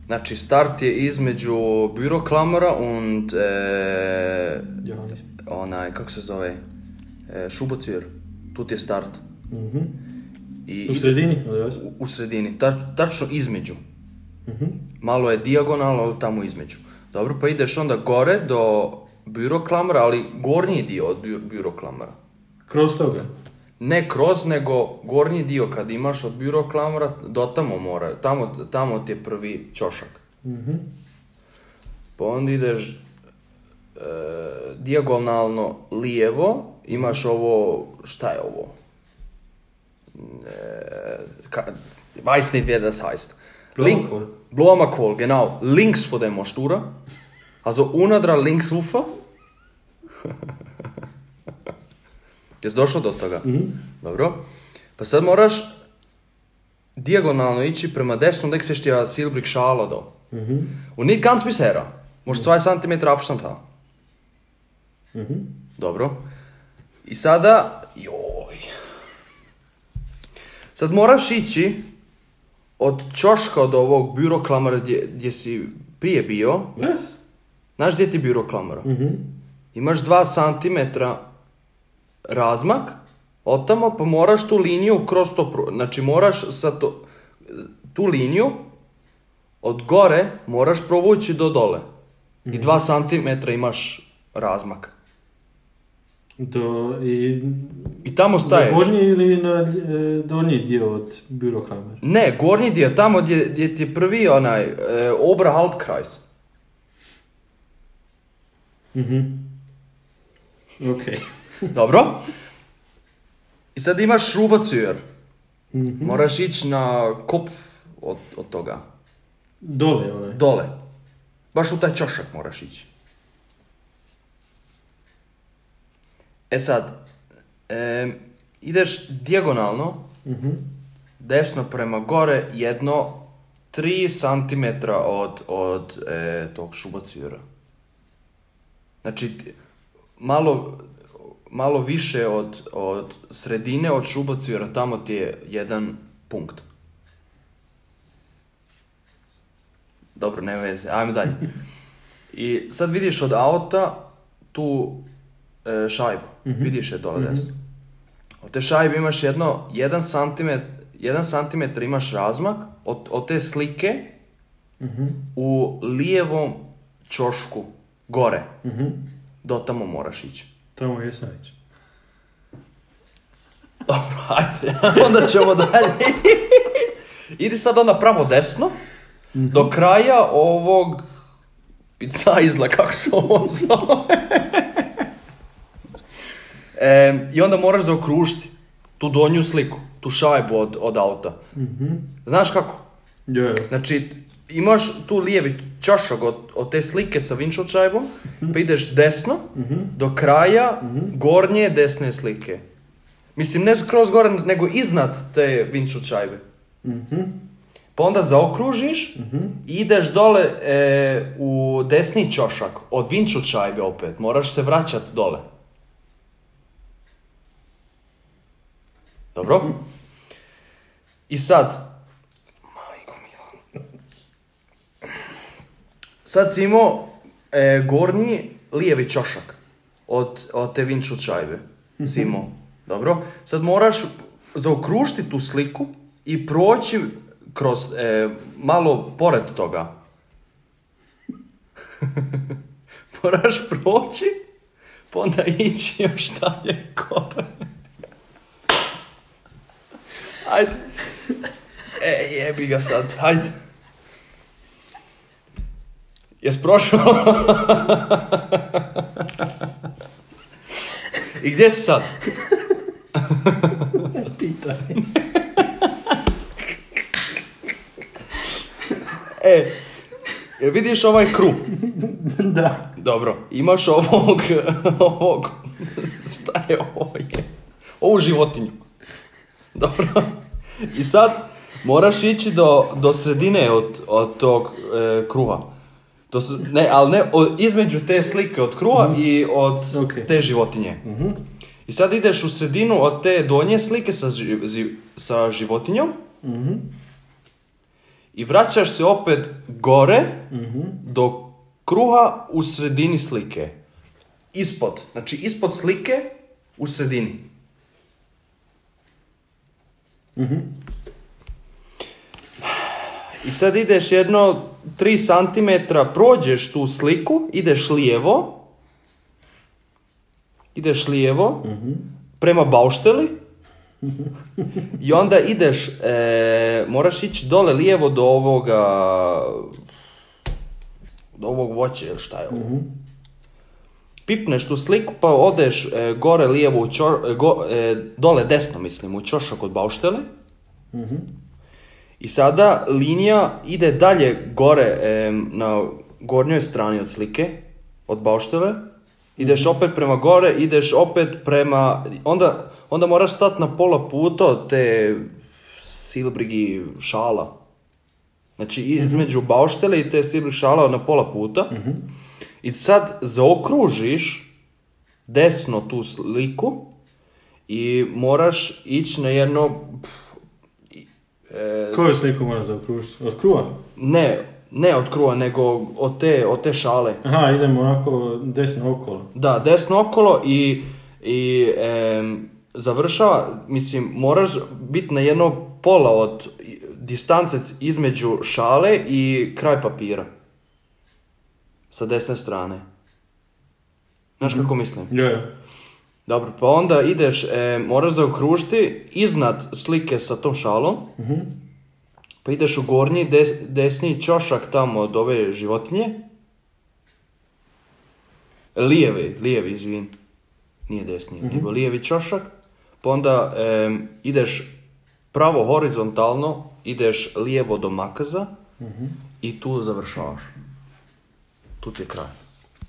Znači, start je između Büroklammer und kako se zove? Schubozür. Tu ti je start. U sredini? U sredini, tačno između. Malo je dijagonalno, ali tamo između. Dobro, pa ideš onda gore do Büroklammera, ali gornji dio od Büroklammera. Kroz toga? Ne kroz, nego gornji dio kad imaš od Büroklammera, do tamo mora, tamo ti je prvi ćošak. Pa onda ideš dijagonalno lijevo, imaš ovo, šta je ovo? Weiß nicht, wie das heißt. Blumenkohl, genau. Links von der Mostura. Also unadra links ufa. Jesi došao do toga? Dobro. Pa sad moraš dijagonalno ići prema desnom, da seš ti ja silbrig šala do. Und nicht ganz bis her. Možeš 2 cm Abstand haben. Dobro. I sada, sad moraš ići od ćoška od ovog Büroklammera gdje si prije bio. Yes. Znaš gdje ti je Büroklammera? Imaš 2 cm razmak, otamo, pa moraš tu liniju kroz to, znači moraš tu liniju od gore moraš provući do dole. I 2 cm imaš razmak. I tamo staješ. Na gornji ili na donji dio od Büroklammera? Ne, gornji dio, tamo gdje ti je prvi onaj Oberhalbkreis. Ok. Dobro. I sad imaš Schubozür. Moraš ići na kopf od toga. Dole, onaj. Dole. Baš u taj ćošak moraš ići. E sad, ideš dijagonalno, desno prema gore, 3 cm od tog Schubozura. Znači, malo više od sredine, od Schubozura, tamo ti je jedan punkt. Dobro, ne veze, ajmo dalje. I sad vidiš od auta tu šajbu, vidiš je dole desno. Od te šajbe imaš 1 cm imaš razmak, od te slike u lijevom ćošku, gore. Do tamo moraš ići. Tamo je sajć. Dobro, ajde, onda ćemo dalje. Idi sad onda pravo desno, do kraja ovog picajzla, kako se ovo zove. I onda moraš zaokružiti tu donju sliku, tu šajbu od auta. Znaš kako? Yeah. Znači, imaš tu lijevi ćošak od te slike sa windshield šajbom, pa ideš desno, do kraja gornje desne slike. Mislim, ne skroz gore, nego iznad te windshield šajbe. Pa onda zaokružiš i ideš dole u desni ćošak od windshield šajbe opet. Moraš se vraćati dole. Dobro? I sad, sad si imao gornji lijevi ćošak od te windshield šajbe. Si imao. Dobro? Sad moraš zaokružiti tu sliku i proći kroz, malo pored toga. Moraš proći, pa onda ići još dalje gore. Ajde. Jebi ga sad, ajde. Jes prošao? I gdje si sad? Pitaj. Vidiš ovaj krug? Da. Dobro, imaš ovog, šta je ovo? Ovu životinju. Dobro. I sad moraš ići do sredine od tog kruha. Između te slike od kruha i od te životinje. I sad ideš u sredinu od te donje slike sa životinjom. i vraćaš se opet gore do kruha u sredini slike. Ispod. Znači ispod slike u sredini. I sad ideš jedno 3 cm, prođeš tu sliku, ideš lijevo, prema baušteli, i onda ideš, moraš ići dole lijevo do ovog voća, ili šta je ovo. Pipneš tu sliku, pa odeš gore lijevo, dole desno, mislim, u ćošak od bauštele. I sada linija ide dalje gore na gornjoj strani od slike, od bauštele. Ideš opet prema gore, ideš opet prema... Onda moraš stati na pola puta od te silbrigi šala. Znači između bauštele i te silbrigi šala na pola puta. I sad zaokružiš desno tu sliku i moraš ići na jedno... Koju sliku moraš zaokružiti? Od kruha? Ne od kruha, nego od te šale. Aha, idemo onako desno okolo. Da, desno okolo i završava, mislim, moraš biti na jedno pola od distance između šale i kraj papira. Sa desne strane. Znaš kako mislim? Je. Dobro, pa onda ideš, moraš zaokružiti iznad slike sa tom šalom, pa ideš u gornji desni ćošak tamo od ove životinje. Lijevi, izvin. Nije desni, nego lijevi ćošak. Pa onda ideš pravo horizontalno, ideš lijevo do makaza i tu završavaš. Tu ti je kraj.